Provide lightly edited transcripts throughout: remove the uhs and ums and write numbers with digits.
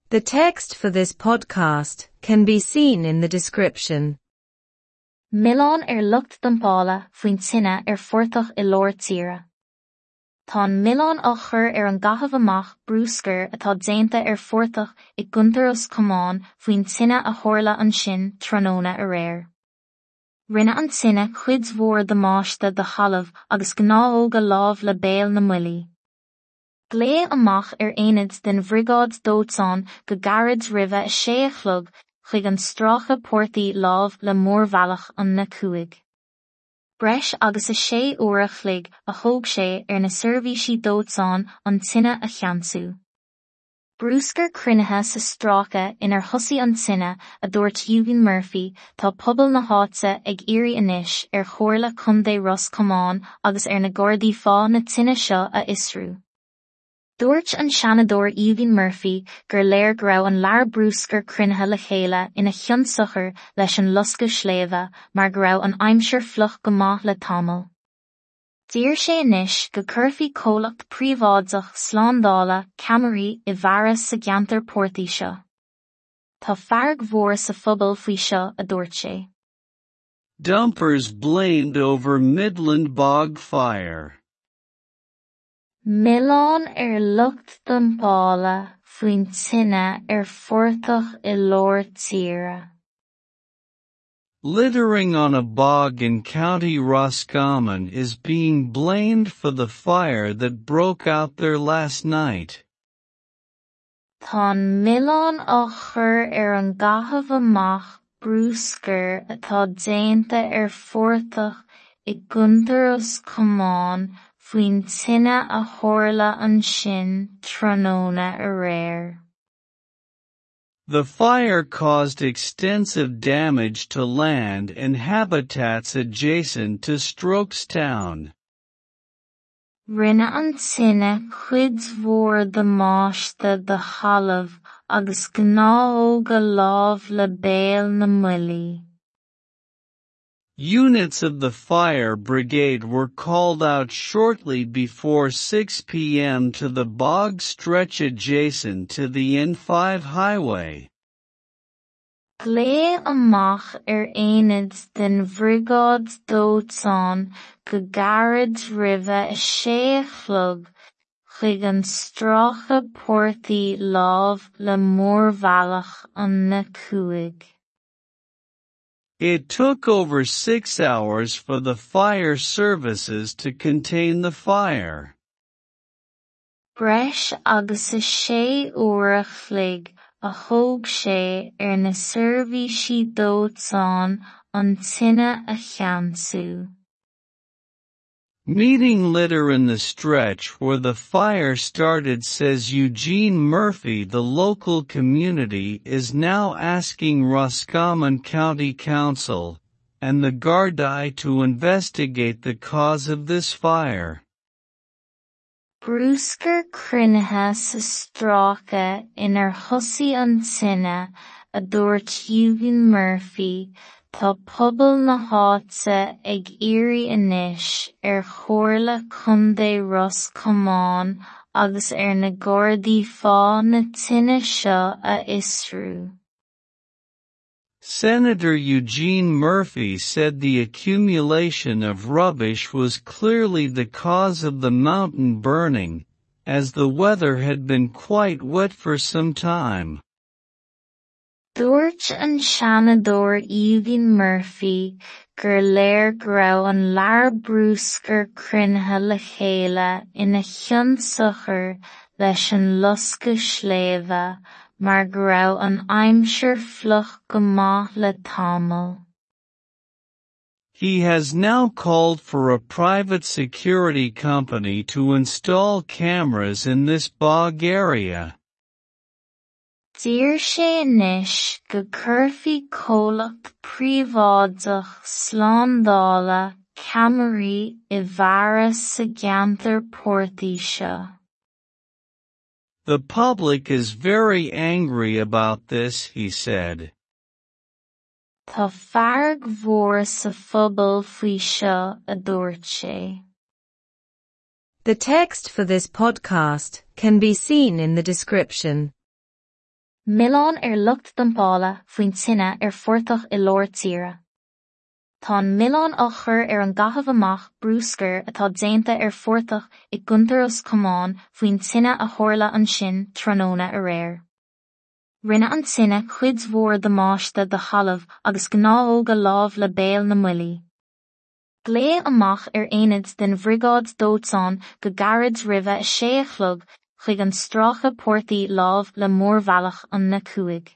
The text for this podcast can be seen in the description. Milleán ar lucht dumpála faoin tine ar phortach i lár tíre. Tá an milleán á chur ar an gcaitheamh amach bruscair atá déanta ar phortach i gContae Ros Comáin faoin tine a tharla ansin tráthnóna aréir. Rinne an tine cuid mhór damáiste do thalamh agus gnáthóga láimh le Béal na mBuillí. Glaodh amach ar aonad den Bhriogáid Dóiteáin go gairid roimhe a sé a chlog chuig an stráice portaigh láimh le mórbhealach an N5. Breis agus a sé uair a chloig a thóg sé ar na seirbhísí dóiteáin an tine a cheansú. Bruscar cruinnithe sa stráice inar thosaigh an tine, a dúirt Eugene Murphy, tá pobal na háite ag iarraidh anois ar Chomhairle Contae Ros Comáin agus ar na Gardaí fáth na tine seo a fhiosrú. Dúirt an Seanadóir Eugene Murphy gur léir go raibh an lear bruscair cruinnithe le chéile ina chionsiocair leis an loscadh sléibhe mar go raibh an aimsir fliuch go maith le tamall. D'iarr sé anois go gcuirfí comhlacht príobháideach slándála ceamaraí i bhfearas sa gceantar portaigh seo. Tá fearg mhór sa phobal faoi seo, a dúirt sé. Dumpers blamed over Midland bog fire. Milleán ar lucht dumpála faoin tine ar phortach i lár tíre. Littering on a bog in County Roscommon is being blamed for the fire that broke out there last night. Tá an milleán á chur ar an gcaitheamh amach bruscair atá déanta ar phortach i gContae Ros Comáin faoin tine a tharla ansin tráthnóna aréir. The fire caused extensive damage to land and habitats adjacent to Strokestown. Rinne an tine cuid mhór damáiste do thalamh agus gnáthóga láimh le Béal na mBuillí. Units of the fire brigade were called out shortly before 6 p.m. to the bog stretch adjacent to the N5 highway. Glaodh amach ar aonad den Bhriogáid Dóiteáin go gairid roimhe a sé a chlog chuig an stráice portaigh láimh le mórbhealach an N5. It took over 6 hours for the fire services to contain the fire. Breis agus a sé uair a chloig a thóg sé ar na seirbhísí dóiteáin an tine a cheansú. Meeting litter in the stretch where the fire started, says Eugene Murphy. The local community is now asking Roscommon County Council and the Gardaí to investigate the cause of this fire. Bruscar cruinnithe sa stráice inar thosaigh an tine, a dúirt Eugene Murphy, tá pobal na háite ag iarraidh anois ar Chomhairle Contae Ros Comáin agus ar na Gardaí fáth na tine seo a fhiosrú. Senator Eugene Murphy said the accumulation of rubbish was clearly the cause of the mountain burning, as the weather had been quite wet for some time. Dúirt an Seanadóir Eugene Murphy gur léir go raibh an lear bruscair cruinnithe le chéile ina chionsiocair leis an loscadh sléibhe mar go raibh an aimsir fliuch go maith le tamall. He has now called for a private security company to install cameras in this bog area. D'iarr sé anois go gcuirfí comhlacht príobháideach slándála ceamaraí i bhfearas sa gceantar portaigh seo. The public is very angry about this, he said. Tá fearg mhór sa phobal faoi seo, a dúirt sé. The text for this podcast can be seen in the description. Milleán ar lucht dumpála faoin tine ar phortach i lár tíre. Tá an milleán á chur ar an gcaitheamh amach bruscair atá déanta ar phortach i gContae Ros Comáin faoin tine a tharla ansin tráthnóna aréir. Rinne an tine cuid mhór damáiste do thalamh agus gnáthóga láimh le Béal na mBuillí. Glaodh amach ar aonad den bhriogáid dóiteáin go gairid roimhe 6 a chlog chuig an stráice portaigh láimh le mórbhealach an N5.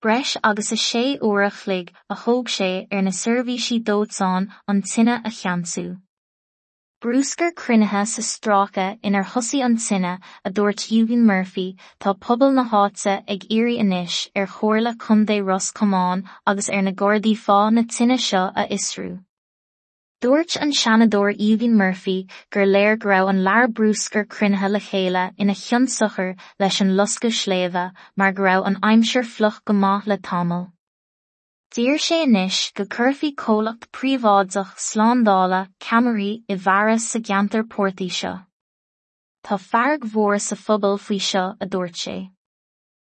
Breis agus 6 uair a chloig a thóg sé ar na seirbhísí dóiteáin an tine a cheansú. Bruscar cruinnithe sa stráice inar thosaigh an tine, a dúirt Eugene Murphy, tá pobal na háite ag iarraidh anois ar Chomhairle Contae Ros Comáin agus ar na Gardaí fáth na tine seo a fhiosrú. Dúirt an Seanadóir Eugene Murphy gur léir go raibh an lear bruscair cruinnithe le chéile ina chionsiocair leis an loscadh sléibhe mar go raibh an aimsir fliuch go maith le tamall. D'iarr sé anois go gcuirfí comhlacht príobháideach slándála ceamaraí i bhfearas sa gceantar portaigh seo. Tá fearg mhór sa phobal faoi seo, a dúirt sé.